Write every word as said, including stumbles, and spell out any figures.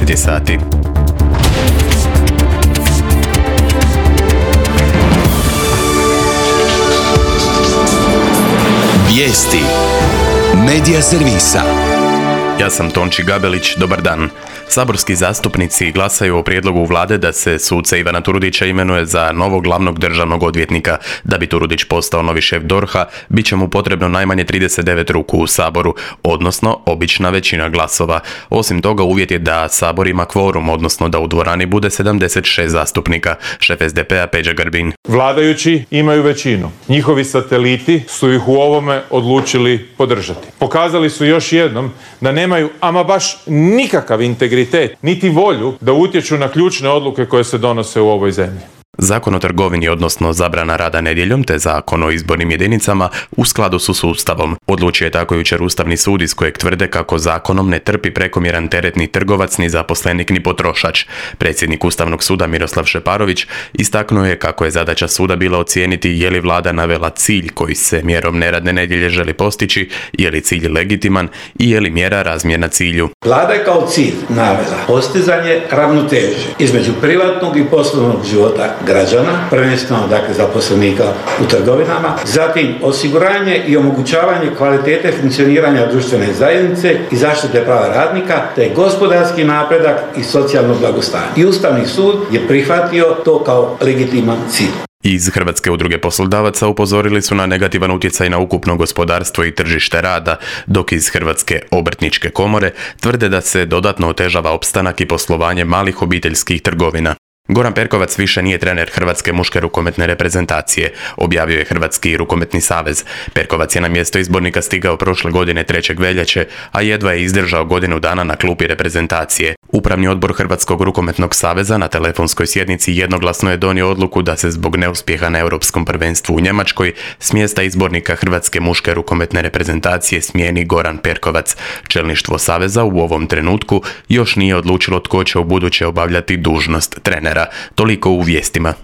deset sati. Vijesti Medija servisa. Ja sam Tonči Gabelić, dobar dan. Saborski zastupnici glasaju o prijedlogu vlade da se suca Ivana Turudića imenuje za novog glavnog državnog odvjetnika. Da bi Turudić postao novi šef D O R H-a, bit će mu potrebno najmanje trideset devet ruku u Saboru, odnosno obična većina glasova. Osim toga, uvjet je da Sabor ima kvorum, odnosno da u dvorani bude sedamdeset šest zastupnika. Šef S D P-a Peđa Grbin. Vladajući imaju većinu. Njihovi sateliti su ih u ovome odlučili podržati. Pokazali su još jednom da nemaju ama baš nikakav integritet, niti volju da utječu na ključne odluke koje se donose u ovoj zemlji. Zakon o trgovini, odnosno zabrana rada nedjeljom, te zakon o izbornim jedinicama u skladu su s Ustavom. Odlučio je tako jučer Ustavni sud iz kojeg tvrde kako zakonom ne trpi prekomjeran teret ni trgovac, ni zaposlenik, ni potrošač. Predsjednik Ustavnog suda Miroslav Šeparović istaknuo je kako je zadaća suda bila ocijeniti je li vlada navela cilj koji se mjerom neradne nedjelje želi postići, je li cilj legitiman i je li mjera razmjerna cilju. Vlada je kao cilj navela postizanje ravnoteže između privatnog i poslovnog života građana, prvenstveno dakle zaposlenika u trgovinama, zatim osiguranje i omogućavanje kvalitete funkcioniranja društvene zajednice i zaštite prava radnika, te gospodarski napredak i socijalno blagostanje. I Ustavni sud je prihvatio to kao legitiman cilj. Iz Hrvatske udruge poslodavaca upozorili su na negativan utjecaj na ukupno gospodarstvo i tržište rada, dok iz Hrvatske obrtničke komore tvrde da se dodatno otežava opstanak i poslovanje malih obiteljskih trgovina. Goran Perkovac više nije trener Hrvatske muške rukometne reprezentacije, objavio je Hrvatski rukometni savez. Perkovac je na mjesto izbornika stigao prošle godine trećeg veljače, a jedva je izdržao godinu dana na klupi reprezentacije. Upravni odbor Hrvatskog rukometnog saveza na telefonskoj sjednici jednoglasno je donio odluku da se zbog neuspjeha na Europskom prvenstvu u Njemačkoj s mjesta izbornika Hrvatske muške rukometne reprezentacije smijeni Goran Perkovac. Čelništvo saveza u ovom trenutku još nije odlučilo tko će ubuduće obavljati dužnost trenera. Toliko u vijestima.